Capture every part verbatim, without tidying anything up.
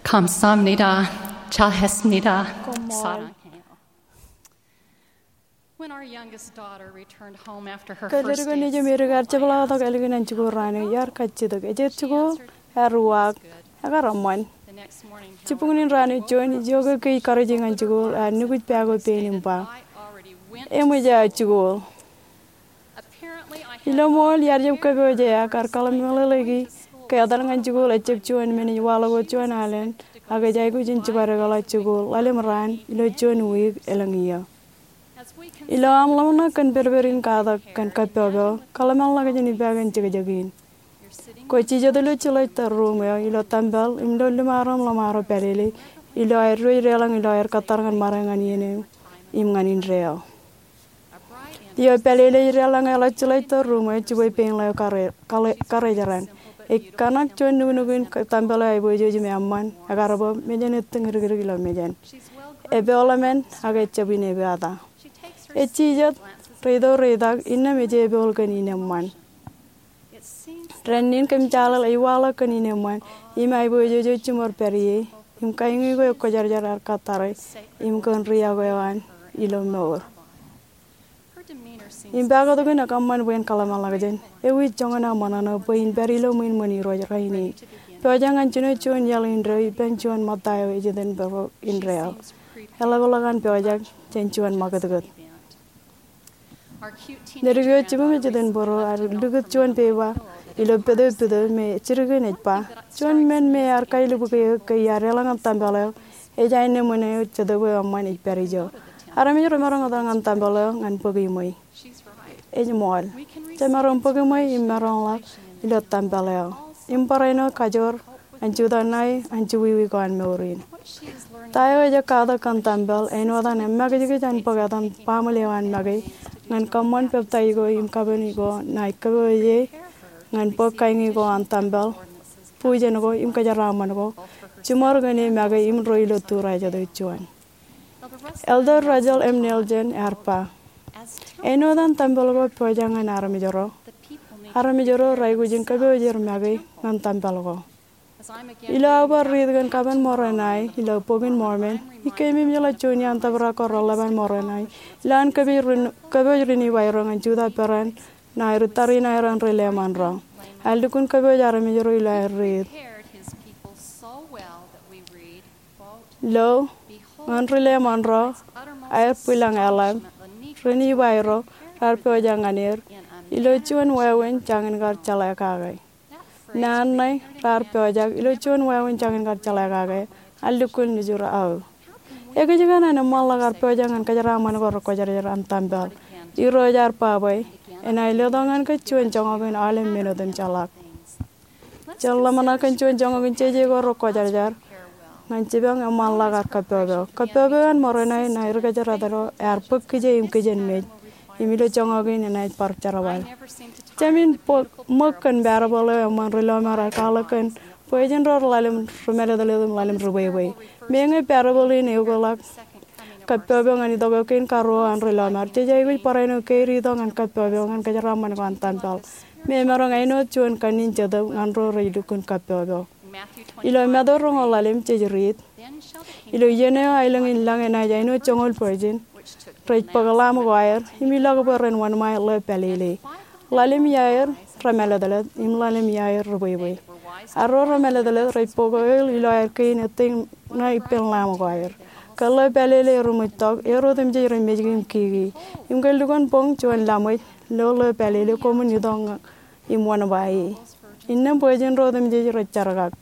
Kamsāmnida, chahesmnida, koṃṃool. When our youngest daughter returned home after her first day of school, Kōḷḷāik eo nejiṃ edik ear jepḷaaktok ālikin an jikuuḷ raan eo, iar kajjitōk. Ej jikuuḷ, ear uwaak, ekar eṃṃan. Jibboñōn in raan eo juon, ijoke ke ij karuj ñan jikuuḷ, ear nukuj pā ko pein im ba, eṃōj aō jikuuḷ. Ilo ṃool, iar jab kōpooje, ekar kōḷmānḷọkḷọk ke etal ñan jikuuḷ ejab juon men ej waḷọk wōt juon alen, ak ej aikuj in jibadekḷọk jikuuḷ ḷalem raan ilo juon wiik elōñ iiō. Ilo aṃ ḷōmṇak kōn pedped in katak kōn kappọpọ, kōḷmānḷọkjeṇ ippān jekjek in. Kwōj jijet ilo jeḷā tōl ruuṃ eo ilo tempel im ilo liṃaroñ ḷōṃaro pālele, ilo aer diwōj deḷọñ ilo aer kōttar ñan ṃare ñan iien eo im ñan indeeo. Eo pālele ej deḷọñ eḷak jeḷā tōl ruuṃ eo, jibwe peiṃ ḷeo kare-, kare-, karejeran. Ej kōṇak juon nuknuk in tempel eo aiboojoj im eṃṃan, ekar bōk mejān ettōñ dikdik ilo mejān. Epool emān, ak ejab in epeata. Ej jijet, reitok reitak, innām ej epool kōn in eṃṃan. Dān in kōm jeḷā ej waḷọk kōn in eṃṃan, im aiboojoj eo jiṃor pād ie, im kain ko ekwōjarjar ear kōttare, im kōn ri-iọkwe eo an ilo mour. Im pākūtkūt in ekōṃṃan bwe en kōḷmānḷọkjeṇ. Ewi joñan aṃ ṃōṇōṇō bwe in pād ilo ṃwiin ṃōn Irooj rainin? Pojak ñan jino juon iaḷ indeeo ippān juon ṃōtta eo ej iten bōro indeeo. Eḷapḷọk an pojak jān juon ṃakūtkūt. Ledik eo jibūṃ ej iten bōro ear likūt juon peba ilo pete pite me jidik in ej ba, juon men me ear kailubuk eō ke iar deḷọñ an tempel eo, ej āinwōt ṃōn eo Jetōb eo eṃṃan ej pād ijo. Armej remaroñ etal ñan tempel eo ñan bōk iṃwe. Ej ṃool. Jemaroñ bōk iṃwe im maroñḷọk ilo tempel eo im barāinwōt kajoor an jutak ṇae an juwiwi ko an mour in. Ta eo ej katak kōn tempel, āinwōt an emakijkij an bōk etan baaṃle eo an make, ñan kōṃṃan peptaij ko im kapen ko ṇae kōpooje, ñan bōk kain ko an tempel, bujen ko im kōjeraaṃṃan ko, jiṃor kōn e make im ro ilo turajet eo juon. Elder Russell M. Nelson ear ba, āinwōt an tempel ko pojak ñan armej ro, armej ro raikuj in kōpooj er make ñan tempel ko. Ilo aō bar riit kōn kapen Moronae ilo Bok in Mormon, ij keememej ḷọk juon iaan tōprak ko reḷap an Moronae ilo an kōpooj ri-, kōpooj ri Nibairoñ ñan jutak peran ṇae ri tariṇae ro an ri leṃanro. Ear lukkuun kōpooj armej ro ilo aer riit. Lo, ñan ri leṃanro, aer bwilōñ eḷap, ri Nibai ro, raar pojak ñan er, ilo juon wāween jañin kar jeḷā kake. Naan ṇe, raar pojak, ilo juon wāween jañin kar jeḷā kake, ear lukkuun lujur aō. Ekōjkan an eṃṃanḷọk ar pojak ñan kōjeraaṃṃan ko rekwōjarjar an tempel? Irooj ear ba bwe, enaaj letok ñan kōj juon joñak in aolep men otemjeḷọk. Jen ḷōmṇak kōn juon joñak in jeje ko rekwōjarjar ñan jipañ eṃṃanḷọk ar kappọpọ. Kappọpọ eo an Moronae ṇae ri kōjatdikdik ro ear bōk kije im kijenmej. Im ilo joñak in enaaj bar jerbal. Jemān bōk ṃōk kōn parable eo eṃṃan ri lọmọọr ear kwaḷọk kōn bwe ej in ro ḷalem rimālōtlōt im ḷalem ribwebwe. Meñe parable in eokḷọk kappọpọ ñan itok eo kein karuo an ri lọmọọr, jej aikuj barāinwōt keid itok ñan kappọpọ ñan kōjeraaṃṃan ko an tempel. Me emaroñ āinwōt juon kanniōk in Jetōb ñan ro rej lukkuun kappọpọ. Ilo Matu roñoul ḷalem jej riit, ilo iien eo aelōñ in lañ enaaj āinwōt joñoul virgin rej bōk ḷaam ko aer im ilọk bwe ren wōnṃae ḷeo pālele. Ḷalem iaer remālōtlōt im ḷalem iaer ribwebwe. Arro remālōtlōt rej bōk oil ilo aer kein ettōñ ṇae ippān ḷaam ko aer. Ke ḷeo pālele eruṃwij tok, er otemjej rej mejki im kiki. Im ke lukkuun boñ juon laṃōj lo ḷeo pālele, koṃwin itok ñan im wōnṃae e. Innām virgin ro otemjej rej jerkak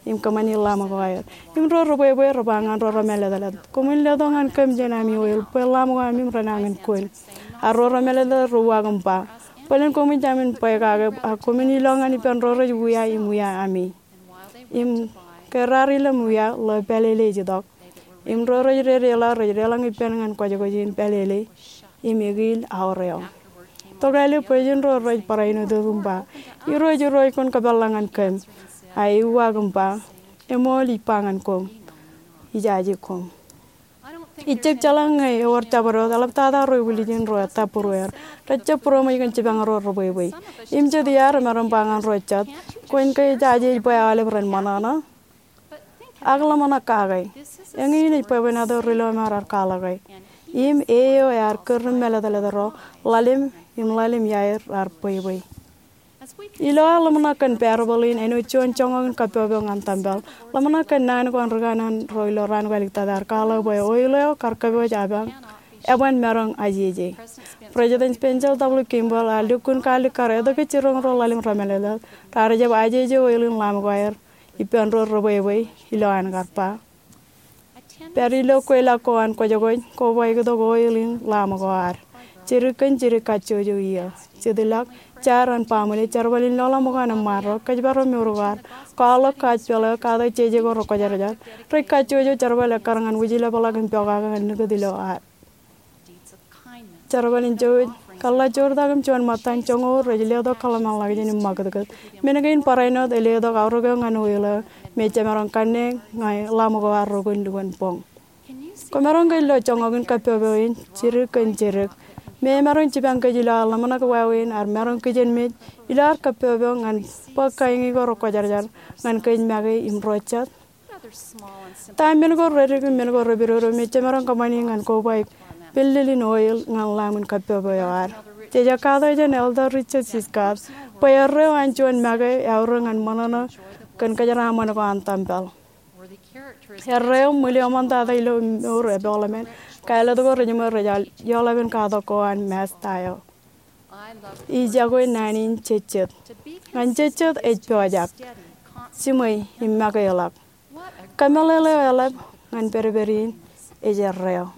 im kōṃṃani ḷaam ko aer. Im ro ribwebwe re ba ñan ro remālōtlōt, koṃwin letok ñan kōm jān ami oil bwe ḷaam ko ami im renañin kōn. Arro remālōtlōt re uwaak im ba, bōlen koṃij jāmin bwe kake, ak koṃwin ilọk ñan ippān ro rej wia im wia ami. Im ke raar ilōñ wia, ḷeo pālele ej itok. Im ro rej dedeḷọk rej deḷọñ ippān ñan kwōjkwōj in pālele im ekiil aoreo. Tokālik bwe jen ro rej barāinwōt im ba, Irooj, Irooj, kwōn kōpeḷḷọk ñan kōm. A e uwaak im ba, eṃool ij ba ñan koṃ, ijaje koṃ. Ij jab jeḷā ñe ewōr jabdewōt, eḷaptata ro ibwiljin ro ettā būrueir. Rej jab būroṃōj kōn jipañ ro ribwebwe. Im jet iaad remaroñ ba ñan ro jet, kwōn ke ej jaje bwe aolep ren ṃōṇōṇō? Ak ḷōmṇak kake. Eñin ej bwebwenato ri lọmọọr ear kwaḷọke. Im eo ear kūr im mālōtlōt ro, ḷalem im ḷalem iaer raar bwebwe. Ilo ad ḷōmṇak kōn parable in āinwōt juon joñak in kappọkpọk ñan tempel, ḷōmṇak kōn naan ko an ri kanaan ro ilo raan ko āliktata ear kwaḷọk bwe oil eo kar kōpooj eban, eban maroñ ajeje. President Spencer W. Kimball ear lukkuun kalikkar etke jiroñ ro ḷalem remālōtlōt raar jab ajeje oil in Lamb ko aer ippān ro rebwebwe ilo an kar ba, pād ilo kweilọk ko an kwōjkwōj, kobaiktok oil in Lamb ko ad. Jidik kōn jidik kajjojo iiō. Jitḷọk, jar an baaṃle, jerbal in lọḷọk ṃōk an eṃṃaan ro, kōjparok mour ko ad, kwaḷọk kaajpel eo, katak jeje ko rekwōjarjar. Rej kajjojo jerbal ekkar ñan wūjlepḷọk im pokake ñan likūt ilo ad. Jerbal in jouj, kōḷḷā joortak im juon ṃōttan joñoul rej letok kōḷmānḷọkjeṇ im ṃakūtkūt. Men kein barāinwōt ej letok aorōk eo ñan oil eo me jemaroñ kanne ñe Lamb ko ad rokun lukkuun boñ. Kwōmaroñ ke lo joñak in kappọkpọk in jidik kōn jidik me emaroñ jipañ kōj ilo ad ḷōmṇak wāween, ear maroñ kijenmej ilo ad kappọkpọk ñan bōk kain ko rekwōjarjar ñan kōj make im ro jet? Ta men ko reddik im men ko repidodo me jemaroñ kōṃṃani ñan kobaik pillil in oil ñan lamb in kappọkpọk eo ad? Jej katak jān Elder Richard C. Scott bwe erreo an juon make eaorōk ñan ṃōṇōṇō kōn kōjeraaṃṃan ko an tempel. Erreo ṃwil eo ṃōn tata ilo mour epokḷọk men, kālōt ko rej ṃōj rej al ioḷapen katak ko an Masta eo. Ij iọkwe naan in jejjet. Ñan jejjet ej pojak, jiṃwe im makeḷọk. Kōmeḷeḷe eo eḷap ñan pedped in ej erreo.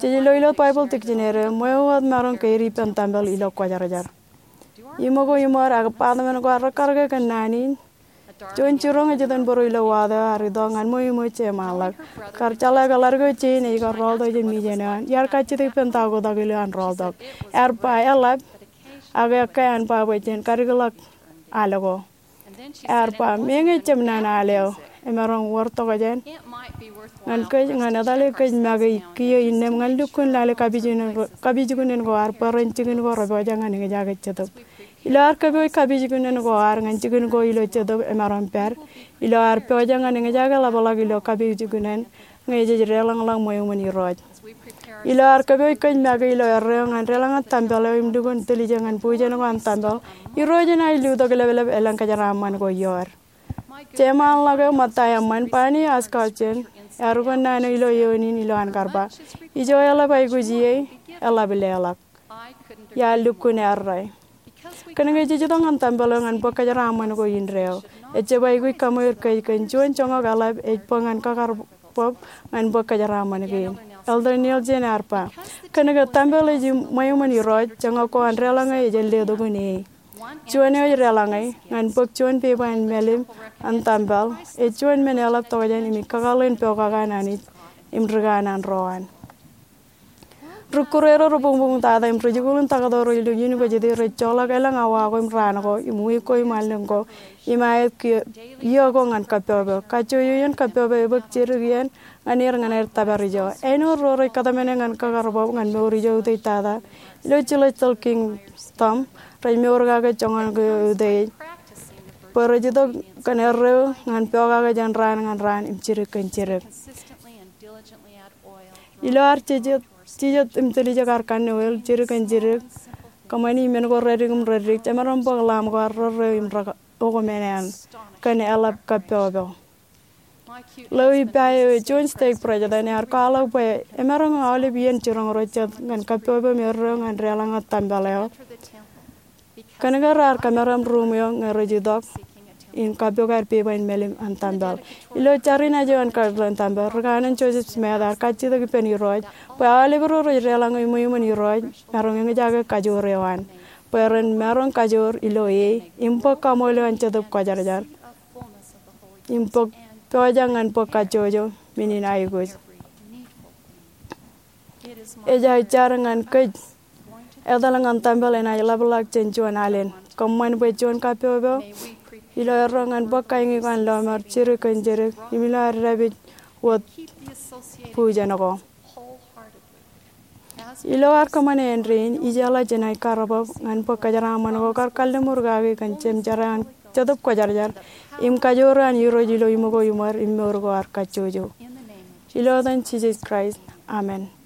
Jej lo ilo Baibōḷ dictionary eo, ṃweo wōt maroñ keid ippān tempel ilo kwōjarjar. Iṃōko iṃōd ak bar ṃōn ko ad rekkar ke kōn naan in? Juon jiroñ ej itok bōro ilo water eo ear itok ñan ṃweo iṃōj jeṃaanḷọk. Kar jeḷā ke ḷaddik eo jein ej kar rọọltok jān mijen eo an, iar kajjitōk ippān ta oktak ilo an rọọltok. Ear ba eḷap, ak ekkā an ba bwe jen kadikḷọk al ko. Ear ba, meñe jab naan al eo emaroñ wōr tokjān ñan kōj ñan etale kōj make kiiō innām ñan lukkuun lale kapijuknen ko, kapijuknen ko ad bwe ren jikin ko repojak ñan eñjake jetōb. Ilo ad kōpooj kapijuknen ko ad ñan jikin ko ilo jetōb emaroñ pād, ilo ad pojak ñan eñjake ḷapḷọk ilo kapijuknen ñe jej deḷọñḷọk ṃweo iṃōn Irooj. Ilo ad kōpooj kōj make ilo erreo ñan deḷọñe tempel eo im lukkuun tiljek ñan bujen ko an tempel, Irooj enaaj lutōk leplep elōñ kōjeraaṃṃan ko ioer. Jeṃaanḷọk eo ṃōtta eṃṃan, Barney Oskaugsson, ear ukōt naan eo ilo eoon in ilo an kar ba, ijo eḷap aikuj ie, eḷap leḷọk. Iar lukkuun errā. Kōnke jej itok ñan tempel eo ñan bōk kōjeraaṃṃan ko indeeo, ejjab aikuj kaṃweer kōj kōn juon joñak eḷap ej bōk ñan kakar bōk ñan bōk kōjeraaṃṃan kein. Elder Nielsen ear ba, kōnke tempel ej ṃweo iṃōn Irooj, joñak ko an deḷọñe ej jelletokun e. Juon eo ej deḷọñe ñan bōk juon pepa in mālim an tempel ej juon men eḷap tokjān im ej kakōḷḷe in pokake an Anij im ri kanaan ro an. Ri kure ro rebuñbuñ tata im rijikuuḷ in taktō ro ilo University rej joḷọk elōñ awa ko im raan ko im wiik ko im allōñ ko im aet kiiō, iiō ko ñan kappọkpọk. Kajjojo iien kappọkpọk ebōk jidik iien ñan er ñan aer tōpar ijo. Āinwōt ro rej kōtmāne ñan kakar bōb ñan mour ijo utiej tata ilo celestial kingdom, rej mour kake joñan ko utiej bwe rej itok kōn erreo ñan pokake jān raan ñan raan im jidik kōn jidik. Ilo ad jijet, jijet im tiljek ad kanne oil jidik kōn jidik, kōṃṃani men ko reddik im reddik, jemaroñ bōk lamb ko ad rerreo im re okōṃṃan eṇ kōn eḷap kappọkpọk. Ḷeo ippa eo, juon stake president, ear kwaḷọk bwe emaroñ aolep iien jiroñ ro jet ñan kappọkpọk im erreo ñan deḷọñe tempel eo. Kōnke raar kōmeram ruuṃ eo ñe rej itok in kappok aer pepa in mālim an tempel. Ilo jar in aje an kar tempel, ri kanaan Joseph Smith ear kajjitōk ippān Irooj bwe aolep ro rej deḷọñe ṃweo iṃōn Irooj maroñ eñjake kajoor eo an, bwe ren maroñ kajoor ilo e im bōk kaṃool eo an Jetōb Kwōjarjar im bōk, pojak ñan bōk kajjojo men in aikuj. Ej aō jar ñan kōj. Etal ñan tempel enaaj ḷapḷọk jān juon alen. Kōṃṃan bwe juon kappọkpọk ilo erreo ñan bōk kain ko an lọmọọr jidik kōn jidik im ilo ad dāpij wōt bujen ko. Ilo ad kōṃṃane āindein, ijeḷā jenaaj karrabōb ñan bōk kōjeraaṃṃan ko kar kalliṃur kaki kōn jemjerā an Jetōb Kwōjarjar im kajoor an Irooj ilo iṃōko iṃōd im mour ko ad kajjojo. Ilo etan Jisōs Kraist, amen.